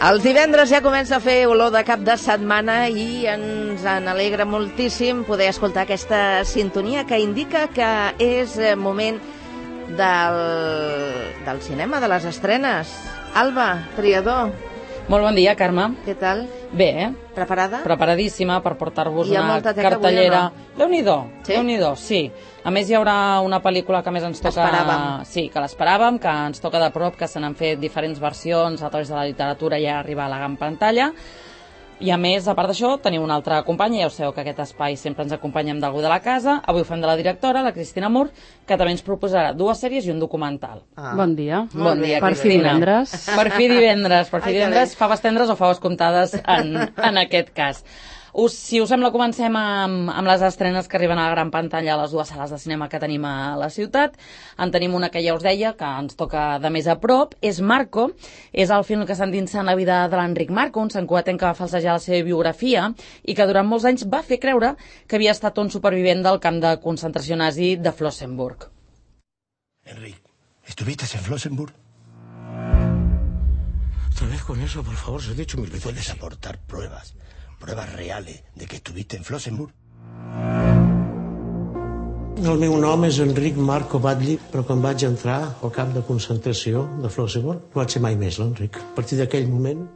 Els divendres ja comença a fer olor de cap de setmana i ens alegra moltíssim poder escoltar aquesta sintonia que indica que és moment del cinema, de les estrenes. Alba, triador. Molt bon dia, Carme. Què tal? Bé, Preparada? Preparadíssima per portar-vos una cartellera. Déu-n'hi-do, sí? Déu-n'hi-do, sí. A més, hi haurà una pel·lícula que més ens toca... Esperàvem. Sí, que l'esperàvem, que ens toca de prop, que se n'han fet diferents versions a través de la literatura i ja arriba a la gran pantalla. I a més, a part d'això, teniu una altra companya, ja ho sabeu que aquest espai sempre ens acompanya amb d'algú de la casa. Avui ho fem de la directora, la Cristina Mur, que també ens proposarà 2 sèries i un documental. Bon dia. Bon dia, per fi Cristina. divendres. Per fi divendres, faves tendres o faves comptades en aquest cas. Si us sembla, comencem amb les estrenes que arriben a la gran pantalla a les 2 sales de cinema que tenim a la ciutat. En tenim una que ja us deia, que ens toca de més a prop, és Marco. És el film que s'endinsa en la vida de l'Enric Marco, un santcugatenc que va falsejar la seva biografia i que durant molts anys va fer creure que havia estat un supervivent del camp de concentració nazi de Flossenburg. Enric, ¿estuviste en Flossenburg? Otra vez con eso, por favor, se he dicho 1000 veces. ¿Puedes aportar pruebas reales de que estuviste en Flossenburg? El meu nom és Enric Marco Batlle, però quan vaig entrar al camp de concentració de Flossenburg no vaig ser mai més l'Enric. A partir d'aquell moment...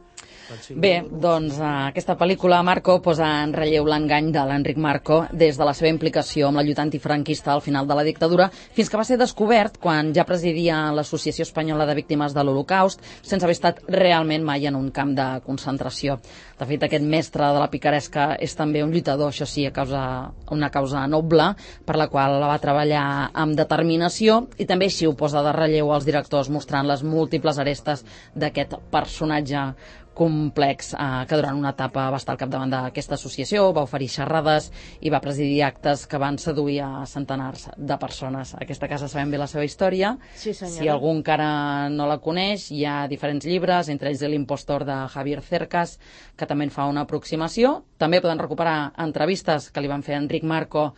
Bé, doncs aquesta pel·lícula, Marco, posa en relleu l'engany de l'Enric Marco des de la seva implicació amb la lluita antifranquista al final de la dictadura fins que va ser descobert quan ja presidia l'Associació Espanyola de Víctimes de l'Holocaust sense haver estat realment mai en un camp de concentració. De fet, aquest mestre de la picaresca és també un lluitador, això sí, una causa noble per la qual la va treballar amb determinació i també així ho posa de relleu als directors mostrant les múltiples arestes d'aquest personatge complex que durant una etapa va estar al capdavant d'aquesta associació, va oferir xerrades i va presidir actes que van seduir a centenars de persones. A aquesta casa sabem bé la seva història. Sí, senyora. Si algú encara no la coneix, hi ha diferents llibres, entre ells l'impostor de Javier Cercas, que també en fa una aproximació. També poden recuperar entrevistes que li van fer a Enric Marco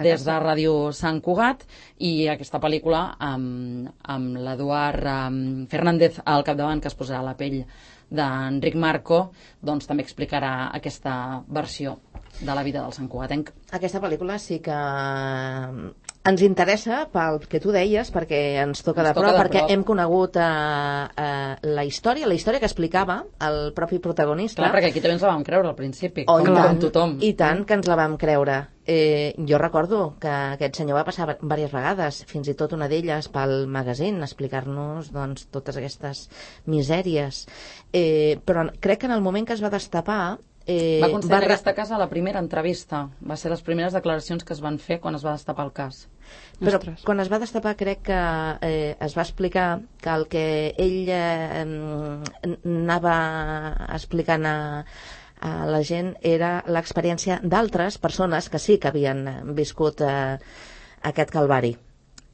des de Ràdio Sant Cugat i aquesta pel·lícula amb l'Eduard Fernández al capdavant, que es posarà a la pell d'Enric Marco, doncs també explicarà aquesta versió de la vida del santcugatenc. Aquesta pel·lícula sí que ens interessa pel que tu deies, perquè ens toca de prop, perquè hem conegut la història que explicava el propi protagonista. Clar, perquè aquí també ens la vam creure al principi, com tothom. I tant que ens la vam creure. Jo recordo que aquest senyor va passar diverses vegades, fins i tot una d'elles pel magazine, explicar-nos doncs, totes aquestes misèries. Però crec que en el moment que es va destapar va concedir en aquesta casa la primera entrevista. Va ser les primeres declaracions que es van fer quan es va destapar el cas. Però quan es va destapar crec que es va explicar que el que ell anava explicant a la gent era l'experiència d'altres persones que sí que havien viscut aquest calvari.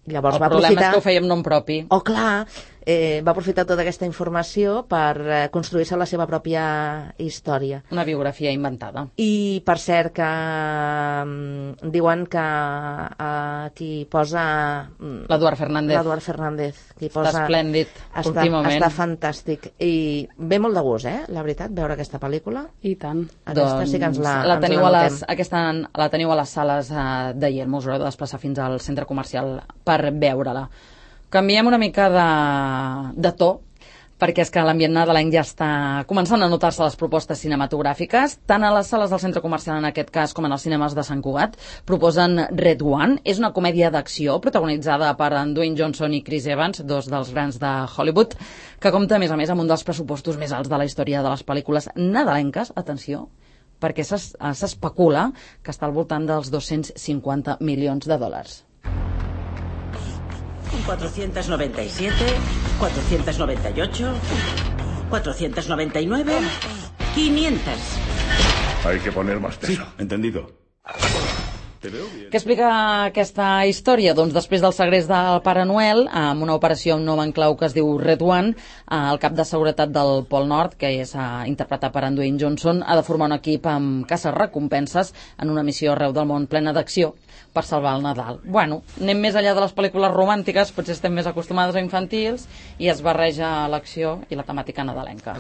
Llavors el problema és que ho feia amb nom propi. Oh, clar, va aprofitar tota aquesta informació per construir-se la seva pròpia història. Una biografia inventada. I, per cert, que diuen que qui posa... L'Eduard Fernández. Està esplèndid, últimament. Està fantàstic. I ve molt de gust, la veritat, veure aquesta pel·lícula. I tant. Aquesta sí que ens la teniu notem. la teniu a les sales de Yelmo, us haureu de desplaçar fins al centre comercial per veure-la. Canviem una mica de to, perquè és que l'ambient nadalenc ja està començant a notar-se les propostes cinematogràfiques. Tant a les sales del centre comercial, en aquest cas, com en els cinemes de Sant Cugat, proposen Red One. És una comèdia d'acció protagonitzada per en Dwayne Johnson i Chris Evans, 2 dels grans de Hollywood, que compta, a més, amb un dels pressupostos més alts de la història de les pel·lícules nadalenques. Atenció, perquè s'especula que està al voltant dels 250 milions de dòlars. 497, 498, 499, 500. Hay que poner más peso. Sí, entendido. Què explica aquesta història? Doncs després del segrest del Pare Noel, amb una operació nova en clau que es diu Red One, el cap de seguretat del Pol Nord, que és interpretat per en Dwayne Johnson, ha de formar un equip amb caces recompenses en una missió arreu del món plena d'acció per salvar el Nadal. Bueno, anem més enllà de les pel·lícules romàntiques, potser estem més acostumades a infantils, i es barreja l'acció i la temàtica nadalenca.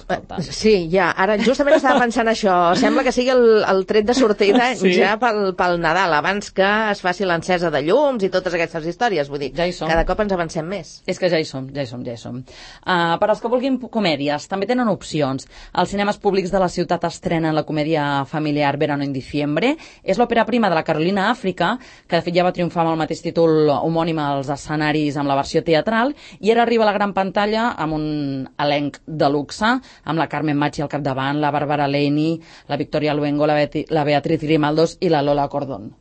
Sí, ja, ara justament estava pensant això. Sembla que sigui el tret de sortida ja pel Nadal, abans que es faci l'encesa de llums i totes aquestes històries. Vull dir, cada cop ens avancem més. És que ja hi som. Per als que vulguin comèdies, també tenen opcions. Els cinemes públics de la ciutat estrenen la comèdia familiar Verano en diciembre. És l'òpera prima de la Carolina Àfrica, que de fet ja va triomfar amb el mateix títol homònim als escenaris amb la versió teatral, i ara arriba a la gran pantalla amb un elenc de luxe, amb la Carmen Machi al capdavant, la Bárbara Leni, la Victoria Luengo, la Beatriz Grimaldos i la Lola Cordón.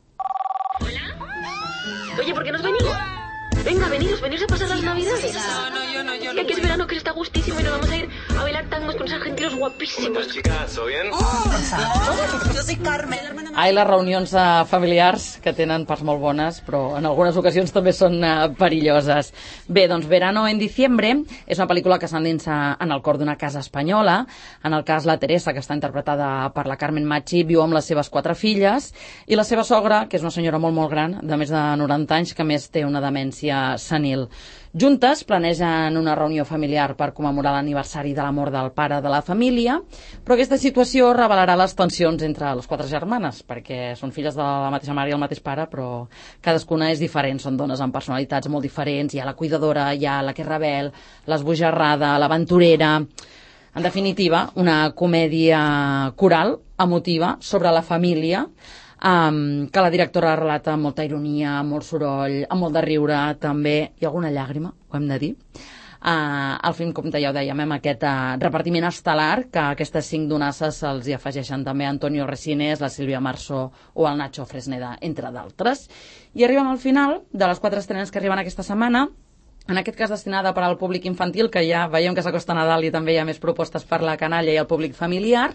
Oye, ¿por qué nos venimos? Venga, veniros a pasar las navidades. No, yo. Que es verano, que está gustísimo y nos vamos a ir a bailar tangos con esos argentinos guapísimos. ¿Cómo estás, chicas? ¿Todo bien? Yo soy Carmen, la hermana... Ai, les reunions familiars, que tenen parts molt bones, però en algunes ocasions també són perilloses. Bé, doncs Verano en diciembre és una pel·lícula que s'endinsa en el cor d'una casa espanyola. En el cas, la Teresa, que està interpretada per la Carmen Machi, viu amb les seves 4 filles, i la seva sogra, que és una senyora molt gran, de més de 90 anys, que més té una demència senil. Juntes planegen una reunió familiar per commemorar l'aniversari de la mort del pare de la família, però aquesta situació revelarà les tensions entre les 4 germanes, perquè són filles de la mateixa mare i el mateix pare, però cadascuna és diferent, són dones amb personalitats molt diferents, hi ha la cuidadora, hi ha la que és rebel, l'esbojarrada, l'aventurera... En definitiva, una comèdia coral, emotiva, sobre la família, que la directora relata amb molta ironia, amb molt soroll, amb molt de riure, també, i alguna llàgrima, ho hem de dir. El film, com ja ho dèiem, amb aquest repartiment estel·lar, que aquestes 5 donasses se'ls hi afegeixen també Antonio Resines, la Sílvia Marsó o el Nacho Fresneda, entre d'altres. I arribem al final de les 4 estrenes que arriben aquesta setmana, en aquest cas destinada per al públic infantil, que ja veiem que s'acosta Nadal i també hi ha més propostes per la canalla i el públic familiar.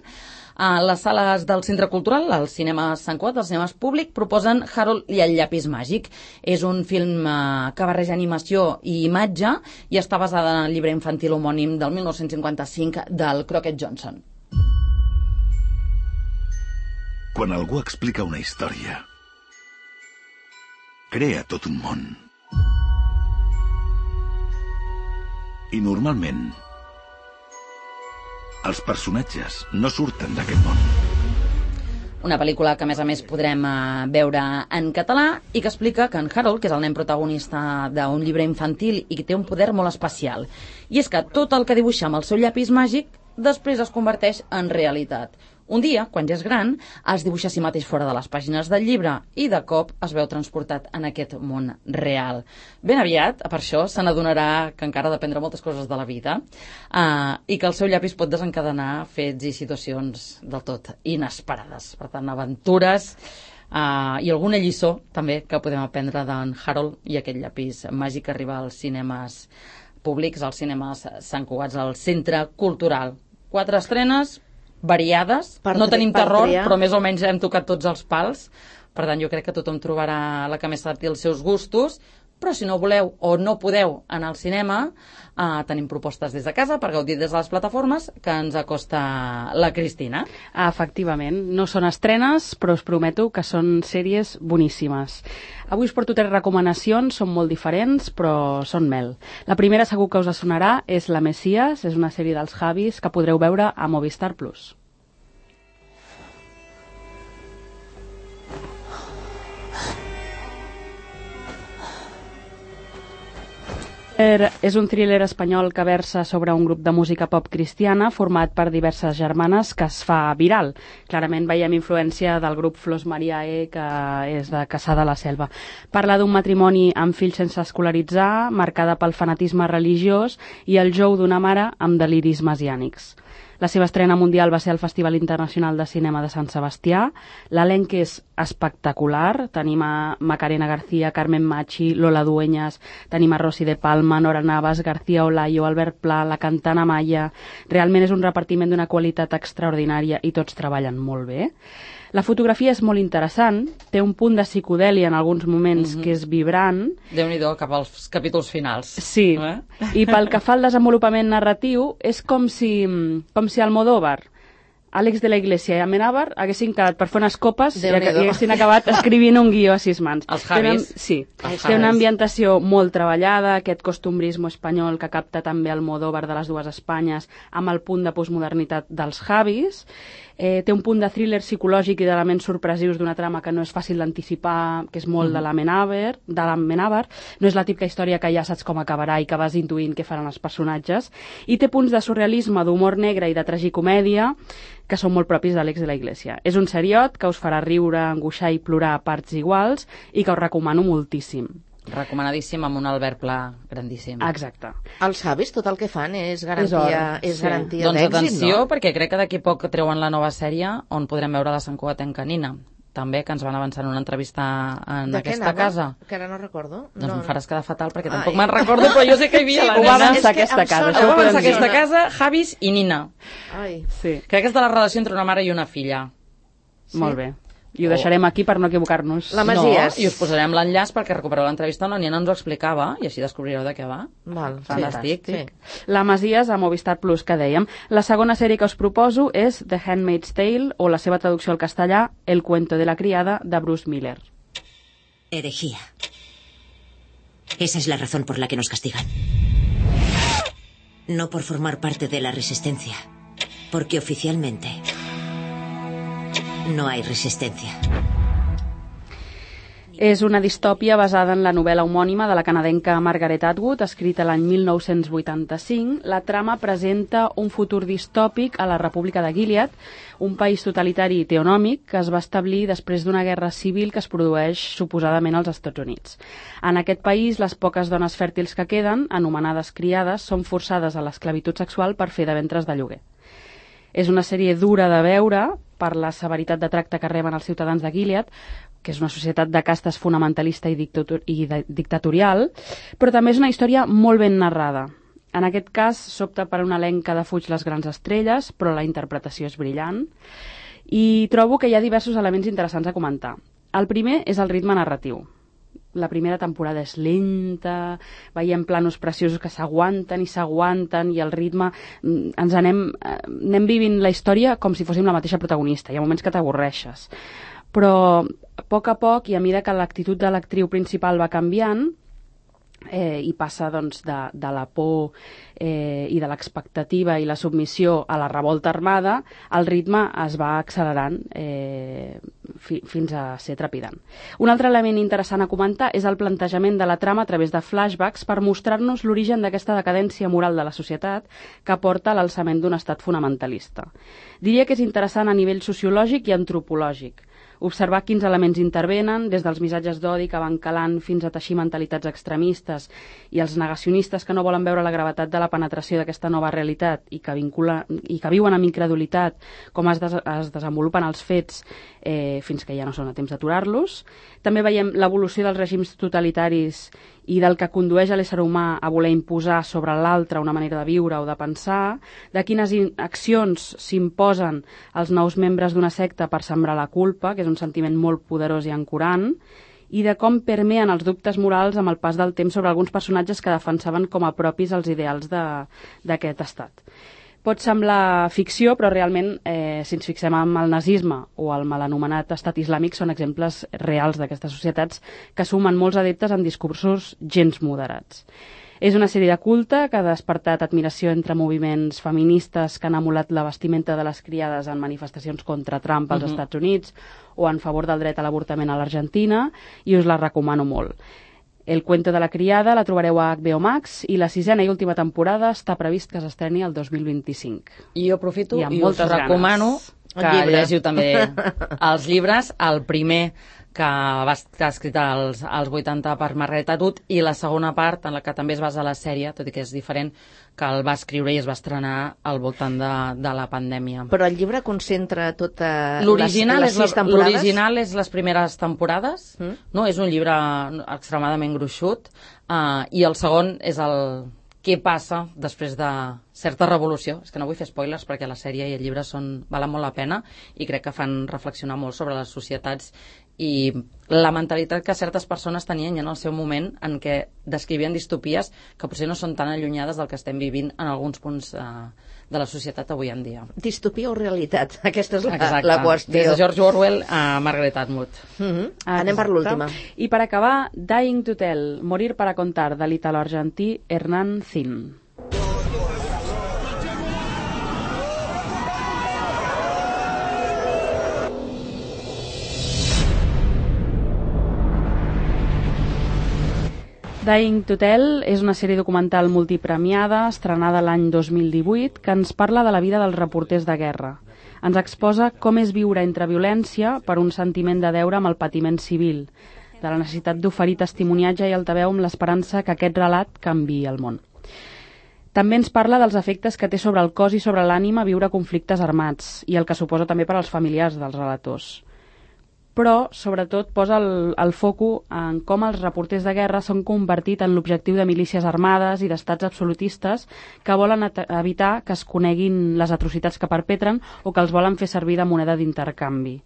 A les sales del Centre Cultural, al cinema Sant Cugat, als cinemes públic, proposen Harold i el llapis màgic. És un film que barreja animació i imatge i està basada en el llibre infantil homònim del 1955 del Crockett Johnson. Quan algú explica una història, crea tot un món. I normalment els personatges no surten d'aquest món. Una pel·lícula que, a més, podrem veure en català i que explica que en Harold, que és el nen protagonista d'un llibre infantil i que té un poder molt especial, i és que tot el que dibuixa amb el seu llapis màgic després es converteix en realitat. Un dia, quan ja és gran, es dibuixa a si mateix fora de les pàgines del llibre i de cop es veu transportat en aquest món real. Ben aviat, per això, se n'adonarà que encara ha d'aprendre moltes coses de la vida i que el seu llapis pot desencadenar fets i situacions del tot inesperades. Per tant, aventures i alguna lliçó també que podem aprendre d'en Harold i aquest llapis màgic que arriba als cinemes públics, als cinemes Sant Cugat, al Centre Cultural. 4 estrenes variades, no tenim terror, però més o menys hem tocat tots els pals, per tant jo crec que tothom trobarà la que més s'adapti als seus gustos, però si no voleu o no podeu anar al cinema, tenim propostes des de casa per gaudir des de les plataformes que ens acosta la Cristina. Efectivament, no són estrenes, però us prometo que són sèries boníssimes. Avui us porto 3 recomanacions, són molt diferents, però són mel. La primera segur que us sonarà és La Messias, és una sèrie dels Javis que podreu veure a Movistar Plus. És un thriller espanyol que versa sobre un grup de música pop cristiana format per diverses germanes que es fa viral. Clarament veiem influència del grup Flors Mariae, que és de Cassà de la Selva. Parla d'un matrimoni amb fills sense escolaritzar, marcada pel fanatisme religiós i el jou d'una mare amb deliris messiànics. La seva estrena mundial va ser al Festival Internacional de Cinema de Sant Sebastià. L'elenc és espectacular. Tenim a Macarena García, Carmen Machi, Lola Dueñas, tenim a Rosy de Palma, Palma, Nora Navas, García Olayo, Albert Pla, la cantant Amaya. Realment és un repartiment d'una qualitat extraordinària i tots treballen molt bé. La fotografia és molt interessant, té un punt de psicodèlia en alguns moments que és vibrant. Déu-n'hi-do, cap als capítols finals. Sí, i pel que fa al desenvolupament narratiu, és com si Almodóvar, Àlex de la Iglesia i Amenábar haguessin quedat per fer unes copes i haguessin acabat escrivint un guió a 6 mans. Els Javis. Sí, té una ambientació molt treballada, aquest costumbrisme espanyol que capta també Almodóvar de les dues Espanyes amb el punt de postmodernitat dels Javis. Té un punt de thriller psicològic i d'elements sorpresius d'una trama que no és fàcil d'anticipar, que és molt de l'Amenábar. No és la típica història que ja saps com acabarà i que vas intuint què faran els personatges. I té punts de surrealisme, d'humor negre i de tragicomèdia que són molt propis d'Àlex de la Iglesia. És un seriot que us farà riure, angoixar i plorar a parts iguals i que us recomano moltíssim. Recomanadíssim, amb un Albert Pla grandíssim. Exacte. Els Javis tot el que fan és garantia d'èxit, doncs atenció, no? perquè crec que d'aquí poc treuen la nova sèrie on podrem veure la Sant Cugatenca Nina. També, que ens van avançar en una entrevista en aquesta casa. Que ara no recordo. Doncs em faràs quedar fatal, perquè tampoc me'n recordo, però jo sé que hi havia la nena. Ho va avançar aquesta casa. Ho va avançar aquesta casa, Javis i Nina. Sí. Crec que és de la relació entre una mare i una filla. Molt bé. I ho deixarem aquí per no equivocar-nos. La Masies. No, i us posarem l'enllaç perquè recupereu l'entrevista on la Nina ens ho explicava i així descobrireu de què va. Fantàstic. Sí. La Masies a Movistar Plus, que dèiem. La segona sèrie que us proposo és The Handmaid's Tale, o la seva traducció al castellà, El cuento de la criada, de Bruce Miller. Herejía. Esa es la razón por la que nos castigan. No por formar parte de la resistencia, porque oficialmente no hay resistencia. És una distòpia basada en la novel·la homònima de la canadenca Margaret Atwood, escrita l'any 1985. La trama presenta un futur distòpic a la República de Gilead, un país totalitari i teonòmic que es va establir després d'una guerra civil que es produeix suposadament als Estats Units. En aquest país, les poques dones fèrtils que queden, anomenades criades, són forçades a l'esclavitud sexual per fer de ventres de lloguer. És una sèrie dura de veure per la severitat de tracte que reben els ciutadans de Gilead, que és una societat de castes fonamentalista i dictatorial, però també és una història molt ben narrada. En aquest cas, s'opta per una elenc que defuig les grans estrelles, però la interpretació és brillant, i trobo que hi ha diversos elements interessants a comentar. El primer és el ritme narratiu. La primera temporada és lenta, veiem planos preciosos que s'aguanten i el ritme ens anem vivint la història com si fóssim la mateixa protagonista. Hi ha moments que t'avorreixes. Però a poc i a mesura que l'actitud de l'actriu principal va canviant i passa doncs, de la por i de l'expectativa i la submissió a la revolta armada, el ritme es va accelerant fins a ser trepidant. Un altre element interessant a comentar és el plantejament de la trama a través de flashbacks per mostrar-nos l'origen d'aquesta decadència moral de la societat que porta a l'alçament d'un estat fonamentalista. Diria que és interessant a nivell sociològic i antropològic. Observar quins elements intervenen, des dels missatges d'odi que van calant fins a teixir mentalitats extremistes i els negacionistes que no volen veure la gravetat de la penetració d'aquesta nova realitat i que viuen amb incredulitat com es desenvolupen els fets fins que ja no són a temps d'aturar-los. També veiem l'evolució dels règims totalitaris i del que condueix a l'ésser humà a voler imposar sobre l'altre una manera de viure o de pensar, de quines accions s'imposen als nous membres d'una secta per sembrar la culpa, que és un sentiment molt poderós i ancorant, i de com permeen els dubtes morals amb el pas del temps sobre alguns personatges que defensaven com a propis els ideals d'aquest estat. Pot semblar ficció, però realment, si ens fixem en el nazisme o el mal anomenat estat islàmic, són exemples reals d'aquestes societats que sumen molts adeptes amb discursos gens moderats. És una sèrie de culte que ha despertat admiració entre moviments feministes que han emulat la vestimenta de les criades en manifestacions contra Trump als Estats Units o en favor del dret a l'avortament a l'Argentina, i us la recomano molt. El cuento de la criada la trobareu a HBO Max i la 6a i última temporada està previst que s'estreni el 2025. I jo aprofito i us recomano que llegiu també els llibres. El primer que va estar escrita als 80 per Margaret Atwood, i la segona part, en la que també es basa la sèrie, tot i que és diferent, que el va escriure i es va estrenar al voltant de la pandèmia. Però el llibre concentra totes les 6 temporades? L'original és les primeres temporades, no? És un llibre extremadament gruixut, i el segon és el què passa després de certa revolució. És que no vull fer spoilers perquè la sèrie i el llibre valen molt la pena i crec que fan reflexionar molt sobre les societats i la mentalitat que certes persones tenien ja en el seu moment, en què descrivien distopies que potser no són tan allunyades del que estem vivint en alguns punts de la societat avui en dia. Distopia o realitat? Aquesta és la qüestió. Des de George Orwell a Margaret Atwood. Anem per l'última. I per acabar, Dying to Tell, Morir para contar, de l'italo-argentí Hernán Zin. Dying to Tell és una sèrie documental multipremiada, estrenada l'any 2018, que ens parla de la vida dels reporters de guerra. Ens exposa com és viure entre violència per un sentiment de deure amb el patiment civil, de la necessitat d'oferir testimoniatge i altaveu amb l'esperança que aquest relat canviï el món. També ens parla dels efectes que té sobre el cos i sobre l'ànima viure conflictes armats i el que suposa també per als familiars dels relators. Però, sobretot, posa el foco en com els reporters de guerra s'han convertit en l'objectiu de milícies armades i d'estats absolutistes que volen evitar que es coneguin les atrocitats que perpetren o que els volen fer servir de moneda d'intercanvi.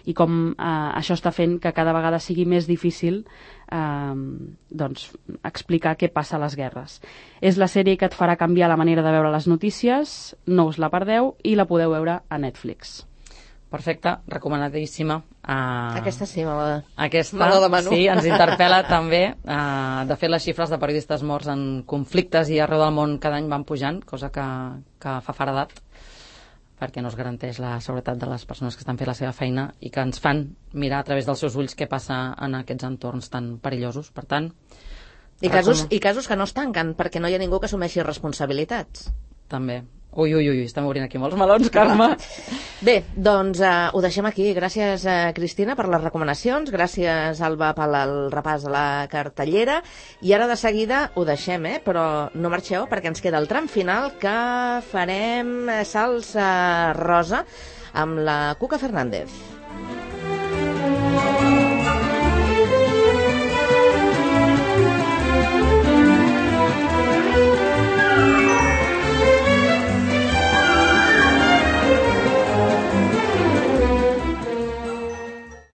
I com això està fent que cada vegada sigui més difícil explicar què passa a les guerres. És la sèrie que et farà canviar la manera de veure les notícies, no us la perdeu i la podeu veure a Netflix. Perfecte, recomanadíssima. Aquesta sí, aquesta, me la demano. sí, ens interpel·la també. De fet, les xifres de periodistes morts en conflictes i arreu del món cada any van pujant, cosa que fa faredat, perquè no es garanteix la seguretat de les persones que estan fent la seva feina i que ens fan mirar a través dels seus ulls què passa en aquests entorns tan perillosos. Per tant... I casos que no es tanquen, perquè no hi ha ningú que assumeixi responsabilitats. També. Ui, estem obrint aquí molts melons, Carme. Bé, doncs ho deixem aquí. Gràcies, Cristina, per les recomanacions. Gràcies, Alba, pel repàs de la cartellera. I ara de seguida ho deixem, però no marxeu perquè ens queda el tram final que farem salsa rosa amb la Cuca Fernández.